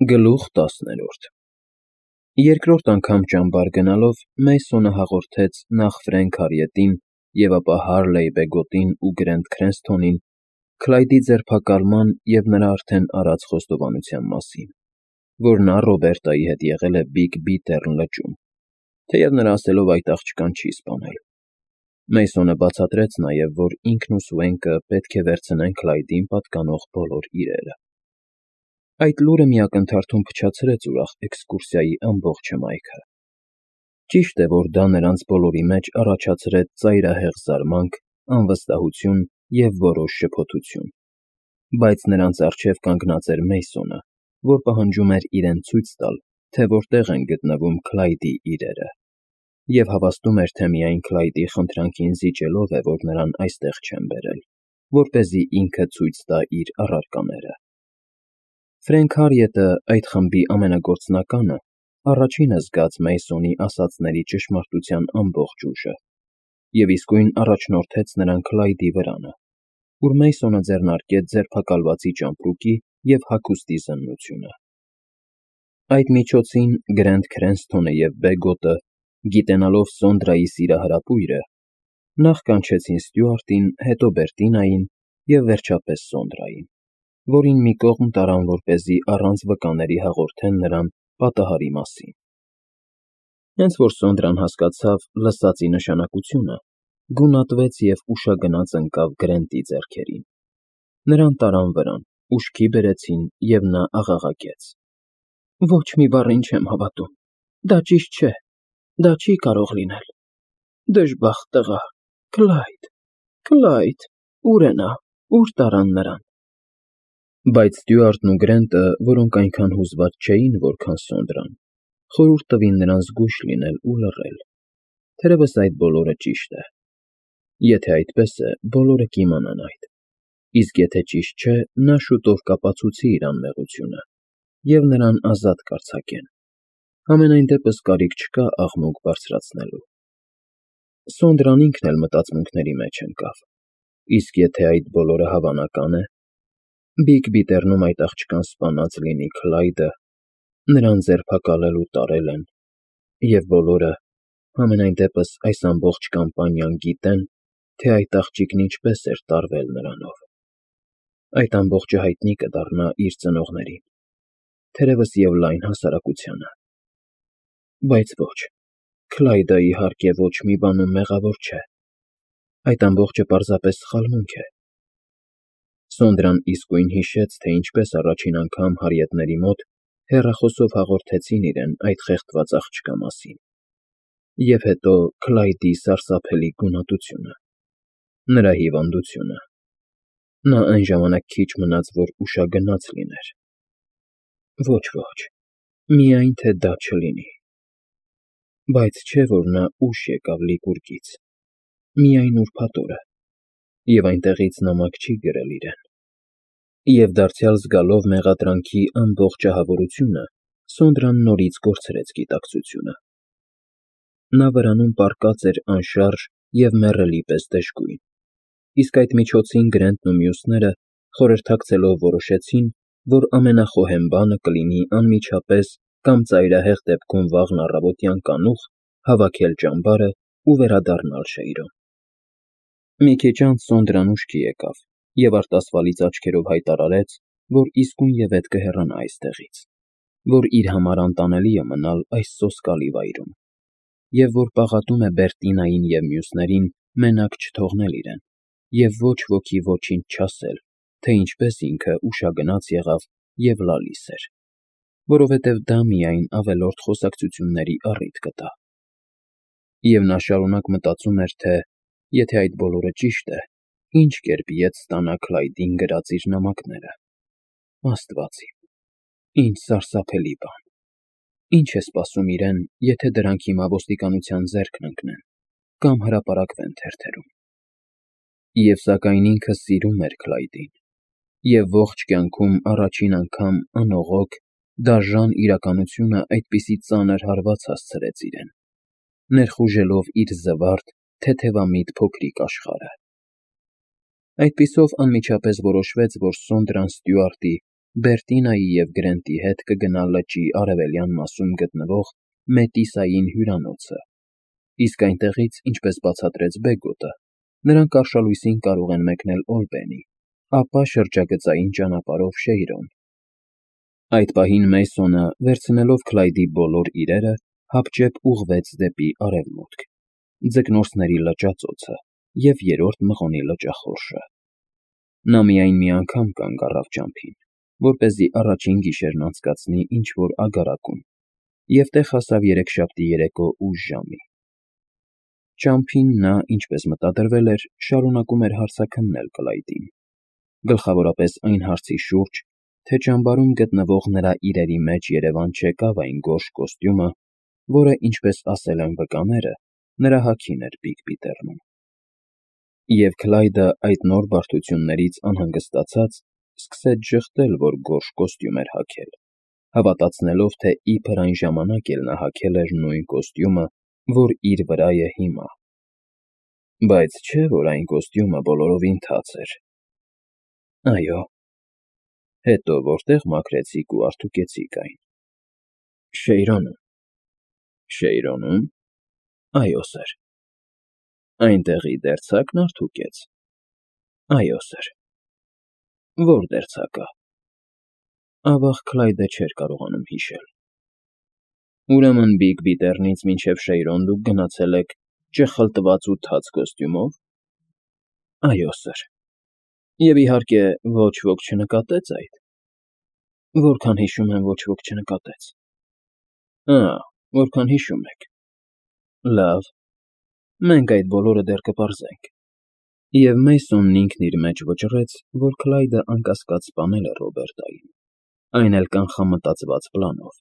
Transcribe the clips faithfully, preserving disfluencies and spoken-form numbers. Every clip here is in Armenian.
Գլուխ տասներորդ Երկրորդ անգամ ճամբար գնալով Մեյսոնը հաղորդեց նախ Ֆրենք Հարիետին և ապա Հարլեյ Բեգոտին ու Գրենտ Քրենսթոնին Քլայդի ձերբակալման և նրա արդեն արած խոստովանության մասին, որ նա Ռոբերտայի հետ եղել է Բիգ Բիթեռն լճում, թեև նրա ասելով այդ աղջկան չի սպանել։ Մեյսոնը բացատրեց նաև, որ ինքն ու Սուենկը պետք է վերցնեն Քլայդին պատկանող բոլոր իրերը։ Այդ լուրը մի ակնթարթում փչացրեց ուրախ էքսկուրսիայի ամբողջ հմայքը։ Ճիշտ է, որ դա նրանց բոլորի մեջ առաջացրեց ծայրահեղ զարմանք, անվստահություն և որոշ շփոթություն, բայց նրանց առջև կանգնած էր Մեյսոնը, որ պահանջում էր իրեն ցույց տալ, թե որտեղ են գտնվում Քլայդի իրերը, և հավաստում էր, թե միայն Քլայդի խնդրանքին զիջելով է, որ նրան այստեղ չեն բերել, որպեսզի ինքը ցույց տա իր առարկաները։ Ֆրենք Հարիետը, այդ խմբի ամենագործնականը, առաջինը զգաց Մեյսոնի ասածների ճշմարտության ամբողջ ուժը և իսկույն առաջնորդեց նրան Քլայդի վրանը, ուր Մեյսոնը ձեռնարկեց ձերբակալվածի ճամպրուկի և հագուստի զննությունը։ Այդ միջոցին Գրենտ Քրենսթոնը և Բեգոտը, գիտենալով Սոնդրայի սիրահարապույրը, նախ կանչեցին Ստյուարտին, հետո Բերտինային և վերջապես Սոնդրային, որին մի կողմ տարան, որպեսզի առանց վկաների հաղորդեն նրան պատահարի մասին։ Հենց որ Սոնդրան հասկացավ լսածի նշանակությունը, գունատվեց և ուշագնաց ընկավ Գրենտի ձեռքերին։ Նրան տարան վրան, ուշքի բերեցին, և նա աղաղակեց. Ոչ մի բառին չեմ հավատում, դա ճիշտ չէ, դա չի կարող լինել, դժբախտ տղա, Քլայդ, Քլայդ, ո՞ւր է նա, ո՞ւր տարան նրան։ Բայց Ստյուարտն ու Գրենտը, որոնք այնքան հուզված չէին, որքան Սոնդրան, խորհուրդ տվին նրան զգույշ լինել ու լռել, թերևս այդ բոլորը ճիշտ է։ Եթե այդպես է, բոլորը կիմանան այդ, իսկ եթե ճիշտ չէ, նա շուտով կապացուցի իր անմեղությունը, և նրան ազատ կարձակեն, համենայն դեպս կարիք չկա աղմուկ բարձրացնելու։ Սոնդրան ինքն էլ մտածմունքների մեջ ընկավ, իսկ եթե այդ բոլորը հավանական է, Բիգ Բիթեռնում այդ աղջկան սպանած լինի Քլայդը, նրան ձերբակալել ու տարել են, և բոլորը, համենայն դեպս այս ամբողջ կամպանիան գիտեն, թե այդ աղջիկն ինչպես էր տարվել նրանով։ Այդ ամբողջը հայտնի կդառնա իր ծնողներին, թերևս և լայն հասարակությանը։ Բայց ոչ, Քլայդը, իհարկե, ոչ մի բանում մեղավոր չէ։ Այդ ամբողջը պարզապես սխալմունք է։ Սոնդրան իսկույն հիշեց, թե ինչպես առաջին անգամ հարիետների մոտ հեռախոսով հաղորդեցին իրեն այդ խեղդված աղջկա մասին, և հետո Քլայդի սարսափելի գունատությունը, նրա հիվանդությունը։ Նա այն ժամանակ քիչ մնաց, որ ուշագնաց լիներ։ Ոչ, ոչ, միայն թե դա չլինի։ Բայց չէ՞ որ նա ուշ եկավ Լիկուրգից, միայն ուրբաթ օրը, և այնտեղից նամակ չի գրել իրեն։ Եվ դարձյալ զգալով մեղադրանքի ամբողջ ահավորությունը, Սոնդրան նորից կորցրեց գիտակցությունը։ Նա վրանում պառկած էր անշարժ և մեռելի պես դժգույն, իսկ այդ միջոցին Գրենտն ու մյուսները, խորհրդակցելով, որոշեցին, որ ամենախոհեմ բանը կլինի անմիջապես կամ ծայրահեղ դեպքում վաղն առավոտյան կանուխ հավաքել ճամբարը ու վերադառնալ Շեյրոն։ Մի քիչ անց Սոնդրան ուշքի եկավ և արտասվալից աչքերով հայտարարեց, որ իսկույնևեթ կհեռանա այստեղից, որ իր համար անտանելի է մնալ այս սոսկալի վայրում, և որ պաղատում է Բերտինային և մյուսներին մենակ չթողնել իրեն, և ոչ ոքի ոչինչ չասել, թե ինչպես ինքը ուշագնաց եղավ և լալիս էր, որովհետև դա միայն ավելորդ խոսակցությունների առիթ կտա։ Եվ նա շարունակ մտածում էր, թե եթե այդ բոլորը ճիշտ է, ինչ կերպ ետ ստանա Քլայդին գրած իր նամակները։ Աստված իմ, ինչ սարսափելի բան։ Ինչ է սպասում իրեն, եթե դրանք հիմա ոստիկանության ձեռքն ընկնեն կամ հրապարակվեն թերթերում։ Եվ սակայն ինքը սիրում էր Քլայդին, և ողջ կյանքում առաջին անգամ անողոք, դաժան իրականությունը այդպիսի ծանր հարված հասցրեց իրեն, ներխուժելով իր զվարթ, թեթևամիտ փոքրիկ աշխարհը։ Այդպիսով անմիջապես որոշվեց, որ Սոնդրան Ստյուարտի Բերտինայի և Գրենտի հետ կգնա լճի արևելյան մասում գտնվող Մետիսային հյուրանոցը, իսկ այնտեղից, ինչպես բացատրեց Բեգոտը, նրանք արշալույսին կարող են մեկնել Օլբենի, ապա շրջագծային ճանապարհով Շեյրոն։ Այդ պահին Մեյսոնը, վերցնելով Քլայդի բոլոր իրերը, հապճեպ ուղղվեց դեպի արևմուտք, Ձկնորսների լճածոցը և Երրորդ Մղոնի լճախորշը։ Նա միայն մի անգամ կանգ առավ ճամփին, որպեսզի առաջին գիշերն անցկացնի ինչ-որ ագարակում, և տեղ հասավ երեքշաբթի երեկո ուշ ժամի։ Ճամփին նա, ինչպես մտադրվել էր, շարունակում էր հարցաքննել Կլայդին, գլխավորապես այն հարցի շուրջ, թե ճամբարում գտնվող նրա իրերի մեջ երևան չեկավ այն գորշ կոստյումը, որը, ինչպես ասել են վկաները, նրա հագին էր Բիգ Բիթեռնում։ Եվ Քլայդը այդ նոր բարդություններից անհանգստացած սկսեց ժխտել, որ գորշ կոստյում էր հագել, հավատացնելով, թե իբր այն ժամանակ էլ նա հագել էր նույն կոստյումը, որ իր վրա է հիմա։ Բայց չէ՞ որ այն կոստյումը բոլորովին թաց էր։ Այո։ Հետո որտե՞ղ մաքրեցիք ու արթուկեցիք այն։ Շեյրոնում։ Շեյրոնում։ Այո, սըր։ Այնտեղի դերձակն արթուկեց։ Այո, սըր։ Ո՞ր դերձակը։ Ավաղ Քլայդը չէր կարողանում հիշել։ Ուրեմն Բիգ Բիթեռնից մինչև Շեյրոն դուք գնացել եք ճխլտված ու թաց կոստյումով։ Այո, սըր։ Եվ, իհարկե, ոչ ոք չնկատեց այդ։ Որքան հիշում եմ, ոչ ոք չնկատեց։ Ա՜, որքան հիշում եք։ Լավ, մենք այդ բոլորը դեռ կպարզենք։ Եվ Մեյսոնն ինքն իր մեջ վճռեց, որ Քլայդը անկասկած սպանել է Ռոբերտային, այն էլ կանխամտածված պլանով,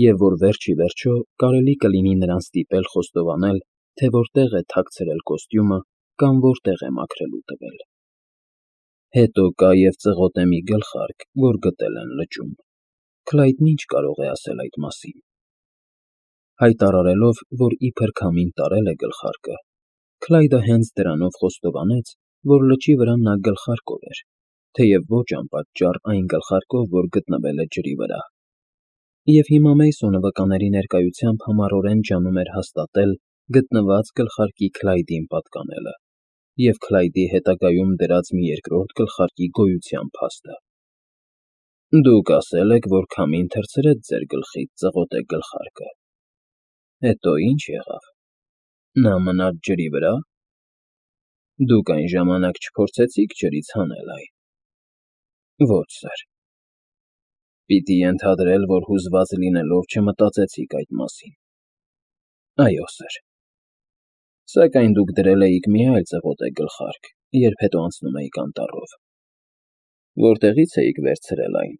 և որ վերջ ի վերջո կարելի կլինի նրան ստիպել խոստովանել, թե որտեղ է թաքցրել կոստյումը կամ որտեղ է մաքրելու տվել։ Հետո կա և ծղոտե մի գլխարկ, որ գտել են լճում։ Քլայդն ի՞նչ կարող է ասել այդ մասին։ Հայտարարելով, որ իբր քամին տարել է գլխարկը, Քլայդը հենց դրանով խոստովանեց, որ լճի վրա նա գլխարկով էր, թեև ոչ անպատճառ այն գլխարկով, որ գտնվել է ջրի վրա։ Եվ հիմա Մեյսոնը վկաների ներկայությամբ համառորեն ջանում էր հաստատել գտնված գլխարկի Քլայդին պատկանելը և Քլայդի հետագայում դրած մի երկրորդ գլխարկի գոյության փաստը։ Դուք ասել եք, որ քամին թռցրեց ձեր գլխից ծղոտե գլխարկը։ Հետո ի՞նչ եղավ։ Նա մնաց ջրի վրա։ Դուք այն ժամանակ չփորձեցիք ջրից հանել այն։ Ոչ, սըր։ Պիտի ենթադրել, որ հուզված լինելով չմտածեցիք այդ մասին։ Այո, սըր։ Սակայն դուք դրել էիք մի այլ ծղոտե գլխարկ, երբ հետո անցնում էիք անտառով։ Որտեղի՞ց էիք վերցրել այն։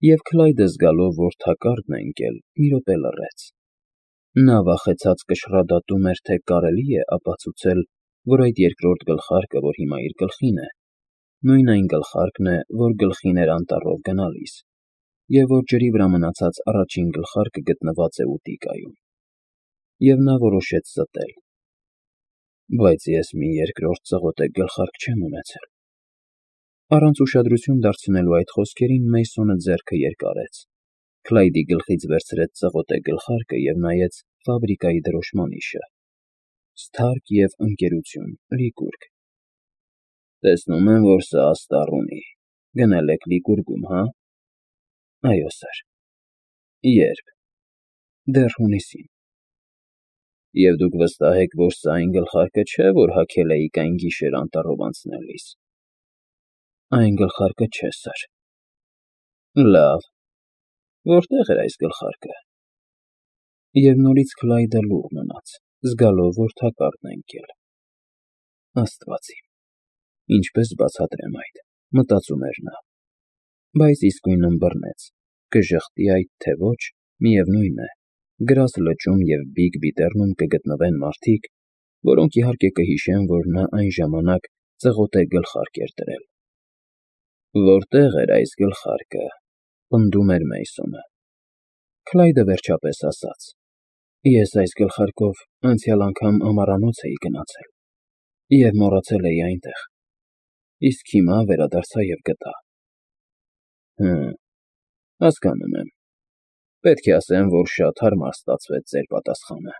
Եվ Քլայդը զգալով, որ թակարդն է ընկել, մի րոպե լռեց։ Նա վախեցած կշռադատում էր, թե կարելի է ապացուցել, որ այդ երկրորդ գլխարկը, որ հիմա իր գլխին է, նույն այն գլխարկն է, որ գլխին էր անտառով գնալիս, և որ ջրի վրա մնացած առաջին գլխարկը գտնված է ուտիկայում։ Եվ նա որոշեց ստել։ Բայց ես մի երկրորդ ծղոտե գլխարկ չեմ ունեցել։ Առանց ուշադրություն դարձնելու այդ խոսքերին Մեյսոնը ձեռքը երկարեց, Քլայդի գլխից վերցրեց ծղոտե գլխարկը և նայեց ֆաբրիկայի դրոշմանիշը։ Սթարք և Ընկերություն, Լիկուրգ։ Տեսնում եմ, որ սա աստառ ունի։ Գնել եք Լիկուրգում, հա։ Այո, սըր։ Ե՞րբ։ Դեռ հունիսին։ Եվ դուք վստահ եք, որ սա այն գլխարկը չէ, որ հագել էիք այն գիշեր անտառով անցնելիս։ Այն գլխարկը չէ, սըր։ Լավ։ Որտե՞ղ էր այս գլխարկը։ Եվ նորից Քլայդը լուռ մնաց, զգալով, որ թակարդն է ընկել։ Աստված իմ, ինչպես բացատրեմ այդ, մտածում էր նա։ Բայց իսկույն ըմբռնեց, կժխտի այդ, թե ոչ, միևնույն է, գրազ լճում և Բիգ Բիթեռնում կգտնվեն մարդիկ, որոնք իհարկե կհիշեն, որ նա այն ժամանակ ծղոտե գլխարկ էր դրել։ Որտե՞ղ էր այս գլխարկը, պնդում էր Մեյսոնը։ Քլայդը վերջապես ասաց. Ես այս գլխարկով անցյալ անգամ ամառանոց էի գնացել և մոռացել էի այնտեղ, իսկ հիմա վերադարձա և գտա։ Հը, հասկանում եմ։ Պետք է ասեմ, որ շատ հարմար ստացվեց ձեր պատասխանը։